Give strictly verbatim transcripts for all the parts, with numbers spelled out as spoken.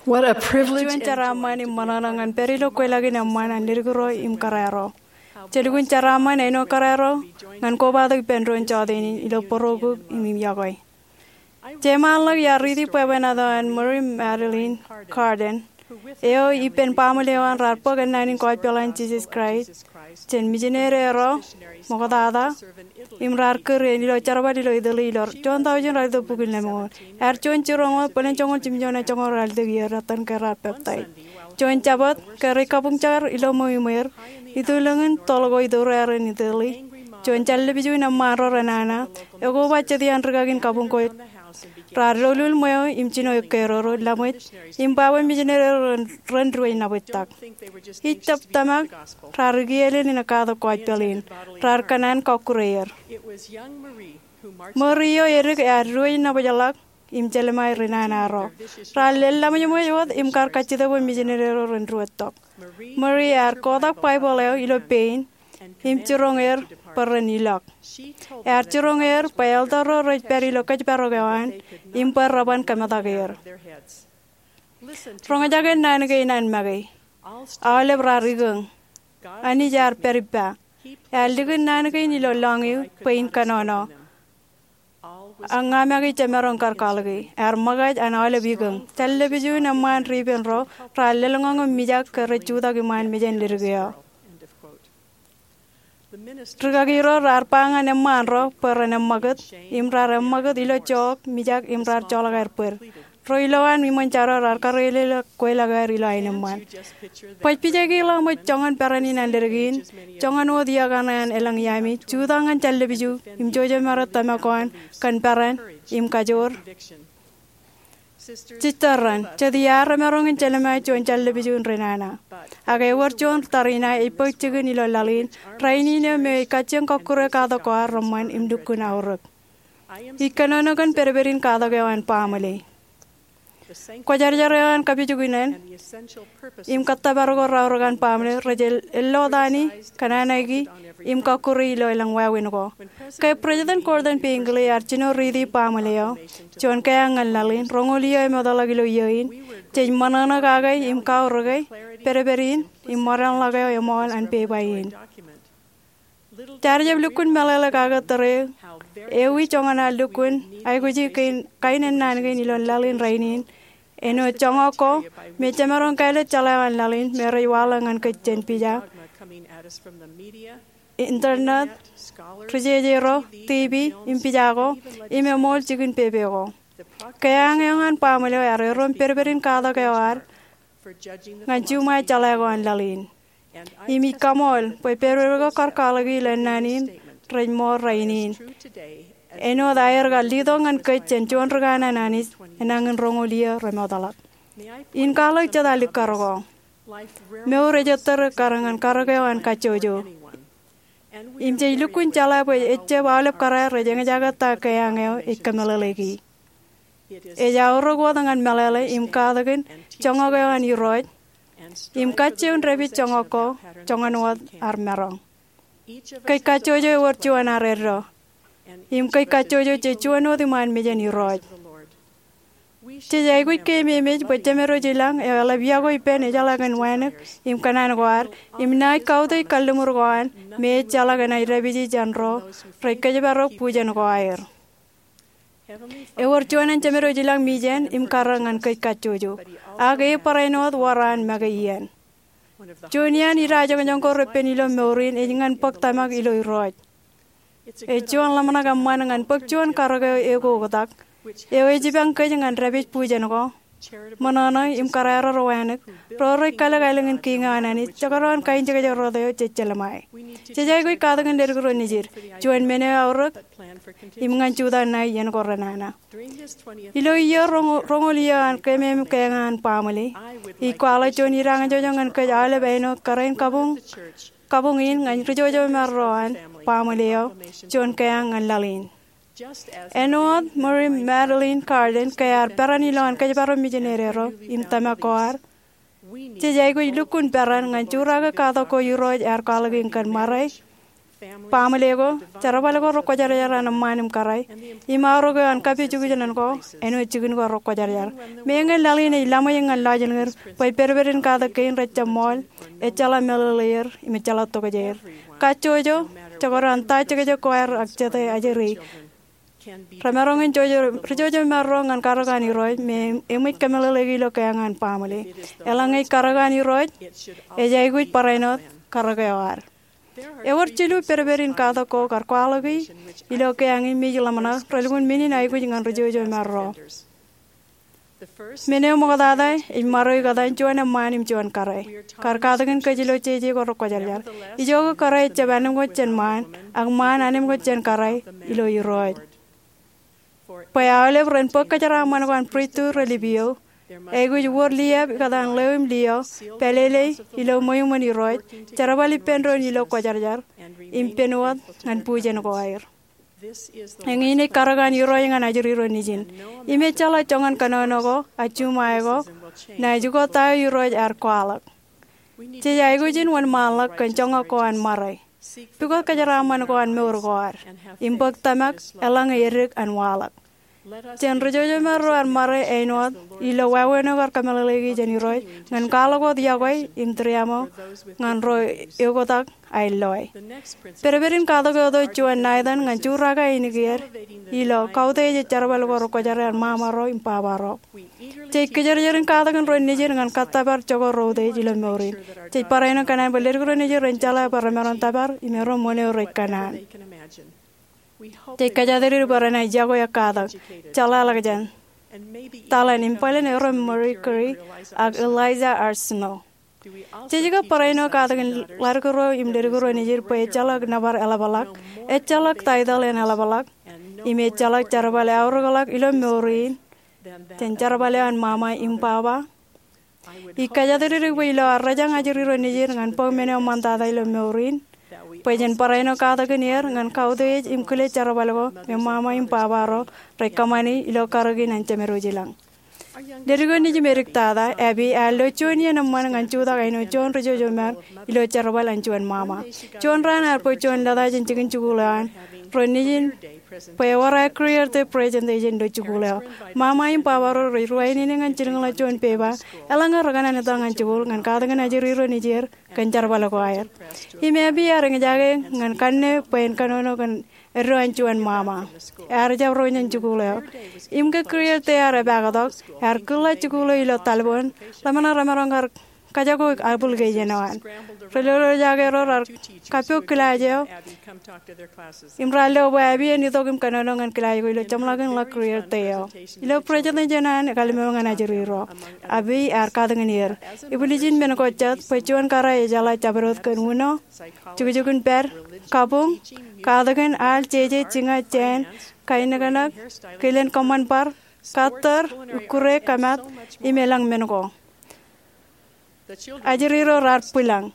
What a privilege. Juon jeraaṃṃan im ṃōṇōṇō ñan pād ilo kweilọk in eṃṃan an ledik ro im kōrā ro. Jelukkuun jeraaṃṃan āinwōt kōrā ro ñan kobatok ippān doon jọteen in ilo bōro kuk im im yokwe. Jeṃaanḷọk iar riiti bwebwenato an Mary Magdalene Carden, eo ippān baaṃle eo an raar bōk ennaan in gospel an Jisōs Kraist jān mijinede ro ṃoktata im raar kūr eṇ ilo jerbal ilo Italy ilo juon tọujin ralitōk bukun lemñoul. Ear juon jiroñ wōt bōlen joñoul jimjuon ak joñoul ralitōk iiō ettan ke raar peptaij. Juon Jabōt ke rej kabuñjake ilo ṃweo iṃweer, itulōñ in toḷ ko itōrerein Italy, juon jān lepiju in eṃṃaan ro renana ekoba jet iaan rikaki in kabuñ ko raar doulul ṃweo im jino ekkerodo, laṃōj, im ba bwe mijinede ro ren, ren diwōj nabōjtak. Ij tōmak raar ekiielel in katak gospel in, raar kōṇaan kọkkure er. Mary eo edik ear diwōj nabōjḷọk im jelṃae renana ro. Raar lel laṃōjṃōj wōt im kar kajjitōk bwe mijinede ro ren diwōjtok. Mary ear kotak Baibōḷ eo ilo pein im jiroñ er bwe ren ilọk. Ear jiroñ er bwe elder ro rej pād ilo kōjparok eo an im bwe reban kōmetak er. Roñjake naan kein an make. Aolep raar ikōñ. Anij ear pād ippa. Ear likin naan kein ilo lọñiu bwe in kōnono. Ak ña make jemaroñ kar kwaḷọki. Ear ṃōkaj an aolep ikōñ. Jān lepiju in eṃṃaan ri ippān ro raar lōḷñọñ im mijak ke rej jutak iṃaan mejān ledik eo. Rikaki ro raar ba ñan eṃṃaan ro bwe ren eṃṃakūt im raar eṃṃakūt ilo jook, mijak im raar joḷọk aer bōd. Ro ilowaan iṃōn jar eo raar karreoḷọk kweilọk eo aer ilo aenōṃṃan. Baj pija ke ḷak ṃōj joñan peran in an ledik in, joñan wōt iiō kaṇe an elōñ iaami, jutak ñan jān lepiju im jouj im maroñ tōmak ko an kōn peran im kajoor. Jistōr ren, jet iar remaroñ in jelṃae juon jān lepiju in renana. Ak ewōr juon tariṇae ej bōk jikin ilo laḷ in rainin eo me ej kajjioñ kọkkure katak ko ad reṃṃan im lukkuun aorōk. Ij kōnono kōn pedped in katak eo an baaṃle. Kwōjarjar eo an kapijuknen im kōttōpar ko raorōk an baaṃle rej ellotaṇi, kōnanaiki im kọkkure ilo elōñ wāween ko. Ke President Gordon B. Hinckley ear jino riiti baaṃle eo, juon keañ ñan laḷ in, roñoul iiō emootḷọk ilo iiō in, jej ṃōṇōṇō kake im kaorōke pedped in im ṃōdeañḷọk eo eṃool an pepa in. Jaar jab lukkuun meḷeḷe kake tōre ewi joñan ad lukkuun aikuji kain, kain ennaan kein ilo laḷ in rainin. Āinwōt joñak ko me jemaroñ kāālōt jeḷā eo an laḷ in me rej waḷọk ñan kōj jān pija, internet, ri-jeje ro, TV, im pija ko, im eṃool jikin pepe ko. Keañ eo an baaṃle eo ear erom pedped in katak eo ad ñan juṃae jeḷā ko an laḷ in. Im ij kaṃool bwe pedped ko kar kwaḷọki ilo ennaan in rej ṃool rainin. Āinwōt aer kar letok ñan kōj jān juon ri kanaan Anij enañin roñoul iiō remootḷọk. In kwaḷọk jet alikkar ko. Mour ej ettōr ekkar ñan karōk eo an kajjojo. Im jej lukkuun jeḷā bwe ejjab aolep kōrā rej eñjake ta keañ eo ej kōmeḷeḷeiki. Ej aorōk wōt ñan meḷeḷe im katakin joñak eo an Irooj im kajjioñ dāpij joñak ko joñan wōt ad maroñ. Kōj kajjojo ewōr juon ad eddo. Im kōj kajjojo jej juon wōt iṃaan mejān Irooj. Jej aikuj keememej bwe Jemedwōj ilañ eo eḷap iọkwe ippān ejeḷā kōn wānōk im kōṇaan ko ad im naaj kautiej kalliṃur ko an me ejjeḷọk enaaj dāpiji jān ro rej kōjparok bujen ko aer. Ewōr juon an Jemedwōj ilañ mejān im karōk ñan kōj kajjojo. Ak e barāinwōt wōr an make iien. Juon iaan idajoñjoñ ko repen ilo mour in ej ñan bōk tōmak ilo Irooj. Ej juon ḷōmṇak eṃṃan ñan bōk juon karōk eo ekoktak eo ej ibañ kōj ñan dāpij bujen ko, ṃōṇōṇō im kōrā ro wānōk ro rej kalōk aelōñ in kiiñ eo an Anij, jekdọọn kainjekjek rot eo jej jelṃae. Jej aikuj katakin ledik ro nejid, juon men eo aorōk im ñan jutak ṇae iien ko renana. Ilo iiō roñ, roñoul iiō an keememej keañ an baaṃle, ij kwaḷọk juon idañjọjọ ñan kōj aolep āinwōt kōrā in kabuñ, kabuñ in ñan ri jojomar ro an baaṃle eo, juon keañ ñan laḷ in. Āinwōt Mary Magdalene Carden ke ear peran ilowaan kōjparok mijinede ro im tōmak ko ad, jej aikuj lukkuun peran ñan jurake katak ko Irooj ear kwaḷọk in kōn ṃare Baaṃle ko, jerbal ko rekwōjarjar an eṃṃaan im kōrā, im aorōk eo an kapijukjenen ko āinwōt jikin ko rekwōjarjar. Meñe laḷ in ej laṃōj ñan lọjilñid bwe pedped in katak kein rejjab ṃool, ejjeḷọk meḷeḷe er im ejjeḷọk tokjāer. Kajjojo, jekdọọn ta jekjek ko aer ak jete ajri, remaroñ in jojo, rijojomaro ñan karōk an Irooj me eṃōj kōmeḷeḷeiki ilo keeañ an baaṃle. Eḷaññe ej karōk an Irooj, ej aikuj barāinwōt karōk eo ad. Ewōr jilu pedped in katak ko kar kwaḷọki ilo keeañ in me ij ḷōmṇak relukkuun men in aikuj ñan rijojomaro. Men eo ṃoktata ej ṃaroik etan juon eṃṃaan im juon kōrā. Kar katakin kōj ilo jeje ko rekwōjarjar. Ijoke kōrā ejjab anemkwōj jān ṃaan, ak ṃaan anemkwōj jān kōrā ilo Irooj. Bwe aolep ren bōk kōjeraaṃṃan ko an pristut reḷap eo, aikuj wōr liab ikōtaan ḷeo im liaḷ, pālele ilo ṃweo iṃōn Irooj, jerbal ippān doon ilo kwōjarjar, im pen wōt ñan bujen ko aer. Eñin ej karōk an Irooj ñan ajri ro nejin. Im ejjeḷọk joñan kōnono ko, ak juṃae ko, naaj ukōt ta eo Irooj ear kwaḷọk. Jej aikuj in wōnṃaanḷọk kōn joñak ko an ṃare. Pukot kōjeraaṃṃan ko an mour ko ad. Im bōk tōmak eḷaññe edik an waḷọk. Jen rijojomaro an ṃare āinwōt ilo wāween eo kar kōmeḷeḷeiki jān Irooj ñan kwaḷọk wōt yokwe im tūriaṃo ñan ro eoktak aer loe. Pedped in katak eo ej juon Nathan ñan jurake ainikien ilo kautiej ej jerbal ko rekwōjarjar an ṃaṃaro im babaro. Jej kijerjer in katakin ro nejid ñan kōttōpar jokwe ro utiej ilo mour in. Jej barāinwōt kōṇaan bwe ledik ro nejid ren jeḷā bwe remaroñ tōpar im erom wōn eo rej kōṇaan. Jej kōjatdikdik bwe renaaj yokwe ak katak, jeḷāḷọkjeṇ, taḷen im bōlen erom Marie Curie ak Eliza R. Snow. Jej kab barāinwōt katakin ḷadik ro im ledik ro nejid bwe ejjeḷọk nōbar eḷapḷọk, ejjeḷọk taitōḷ en eḷapḷọk, im ejjeḷọk jerbal eaorōkḷọk ilo mour in jān jerbal eo an ṃaṃa im baba? Ij kōjatdikdik bwe ilo ad rōjañ ajri ro nejid ñan bōk men eo ṃaantata ilo mour in, bwe jen barāinwōt katakin er ñan kautiej im kile jerbal ko me ṃaṃa im baba ro rej kōṃṃani ilo karōk in an Jemedwōj ilañ. Ledik eo nejim ediktata, Abby, ear lo juon iien eṃṃan ñan jutak āinwōt juon rijojomar ilo jerbal an juon ṃaṃa. Juon raan ear bōk juon lōta jān jikin jikuuḷ eo an ro nejin bwe ewōr aer career day presentation ilo jikuuḷ eo. Ṃaṃa im baba ro rej ruwainene ñan jilkinḷọk juon peba, eḷaññe rekōṇaan etal ñan jikuuḷ ñan katakin ajri ro nejier kōn jerbal ko aer. Im Abby ear eñjake ñan kanne bwe en kōnono kōn eddo an juon ṃaṃa. Ear jab ro jān jikuuḷ eo. Im ke career day ear epaaktok, ear kūrḷọk jikuuḷ eo ilo talboon, ḷōmṇak remaroñ kar kajako application eo an. Ri-lolojake ro raar kappok kilaaj eo im raar lo bwe Abby en itok im kōnono ñan kilaaj ko ilo jeṃḷọkin ḷọk career day eo. Ilo presentation eo an ekālmeo ñan ajri ro, Abby ear katakin er. Ibwiljin men ko jet bwe juon kōrā ejeḷā jabdewōt kōn uno, jukjukin pād, kabuñ, katakin, al, jeje, jiña, jāān, kainōknōk, kilen kōṃṃan bar, kattōr, ikkure, kōmat, im elōñ men ko. Ajri ro raar bwilōñ.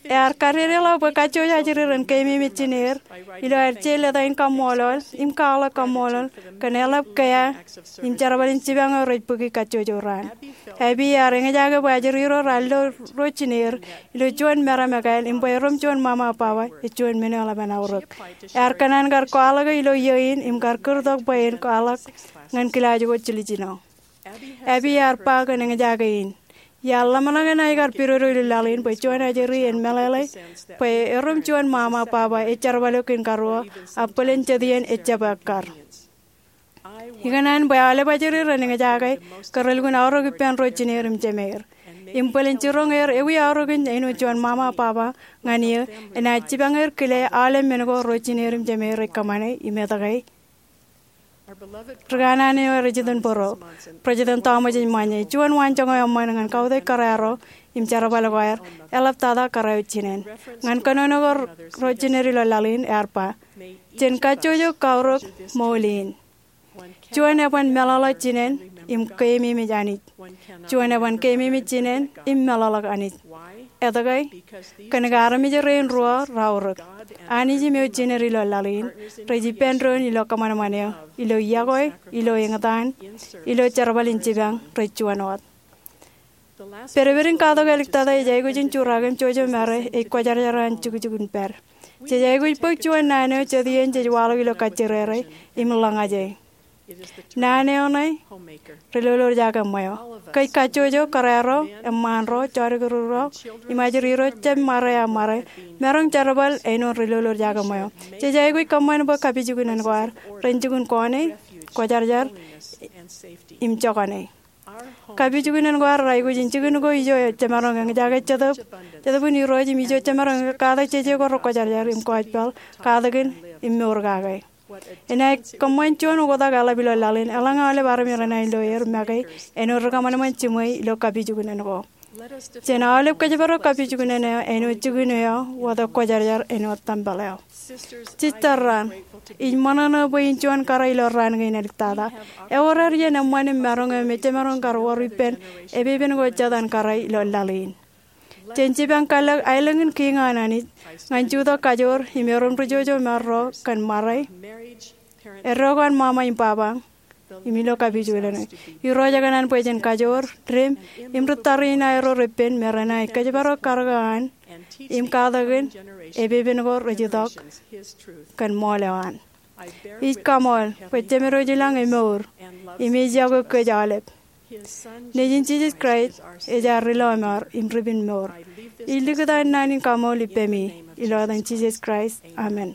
Ear kadedeḷọk bwe kajjojo ajri ren keememej jineer ilo aer je lōta in kaṃṃoolol im kwaḷọk kaṃṃoolol kōn eḷap kea im jerbal in jipañ eo rej bōki kajjojo raan. Abby ear eñjake bwe ajri ro raar lo ro jineer ilo juon meram ekāāl im bwe erom juon ṃaṃa baba ej juon men eo eḷap an aorōk. Ear kōṇaan kar kwaḷọke ilo iiō in im kar kūrtok bwe en kwaḷọk ñan kilaaj ko jiljino. Abby ear ba kōn eñjake in, iar ḷōmṇak enaaj kar pidodo ilo laḷ in bwe juon ajri en meḷeḷe bwe erom juon ṃaṃa baba ej jerbal eok in karuo, ak bōlen jet iien ejjab ekkar. Ikōṇaan bwe aolep ajri ren eñjake ke relukkuun aorōk ippān ro jineer im jemeir. Im bōlen jiroñ er ewi aorōk in āinwōt juon ṃaṃa baba ñan eō, enaaj jipañ er kile aolep men ko ro jineer im jemeir rej kōṃṃane im etke. Ri kanaan eo ej jitōnbōro, President Thomas S. Monson, juon waanjoñak eo eṃṃan ñan kautiej kōrā ro im jerbal ko aer, eḷaptata kōrā eo jinen. Ñan kōnono ko ro jineer ilo laḷ in ear ba, jen kajjojo kaorōk ṃool in. Juon eban meḷọkḷọk jinen im keememej Anij. Juon eban keememej jinen im meḷọkḷọk Anij. Etke? Kōnke armej rein ruo raorōk, Anij im eo jineer ilo laḷ in, rej ippān doon ilo kōṃanṃan eo, ilo yokwe, ilo eñtaan, ilo jerbal in jipañ rej juon wōt. Pedped in katok āliktata ej aikuj in jurak im jojomare ej kwōjarjar an jukjuk in pād. Jej aikuj bōk juon naan eo jet iien jej waḷọk ilo kajjirere im ḷōñaje. Naan eo ṇe ri-lolorjake ṃweo. Kōj kajjojo, kōrā ro, eṃṃaan ro, jodikdik ro, im ajri ro jab ṃare aṃ ṃare, maroñ jerbal āinwōt ri-lolorjake ṃweo. Jej aikuj kōṃṃan bwe kapijuknen ko ad ren jikin kọọne, kwōjarjar, im jokane. Kapijuknen ko ad reaikuj in jikin ko ijo jemaroñ eñjake Jetōb, Jetōb in Irooj im ijo jemaroñ katak jeje ko rekwōjarjar im kọjpeḷ, katakin, im mour kake. Enaaj kōṃṃan juon oktak eḷap ilo laḷ in, eḷaññe aolep armej renaaj lo er make āinwōt ri-kōṃanṃan jiṃwe ilo kapijuknen ko. Jen aolep kōjparok kapijuknen eo āinwōt jikin eo wōt kwōjarjar āinwōt tempel eo. Jistar raan, ij ṃōṇōṇō bwe in juon kōrā ilo raan kein āliktata. Ewōr ad iien eṃṃan im maroñ eo me jemaroñ kar wōr ippān epepen ko jota in kōrā ilo laḷ in. Jen jipañ kallek aelōñ in Kiiñ an Anij ñan jutak kajoor im erom ri-jojo im erro kōn ṃare, eddo ko an ṃaṃa im baba, im ilo kapijuknen eo. Irooj ekōṇaan bwe jen kajoor, dim, im ri tariṇae ro repen me renaaj kōjparok karōk eo an im katakin epepen ko rej itok kōn ṃool eo an. Ij kaṃool bwe Jemedwōj ilañ emour im ej yokwe kōj aolep. Nejin Jisōs Kraist ej ad ri-lọmọọr im ri-pinmour. Ij likūt an naan in kaṃool ippemi ilo etan Jisōs Kraist, amen.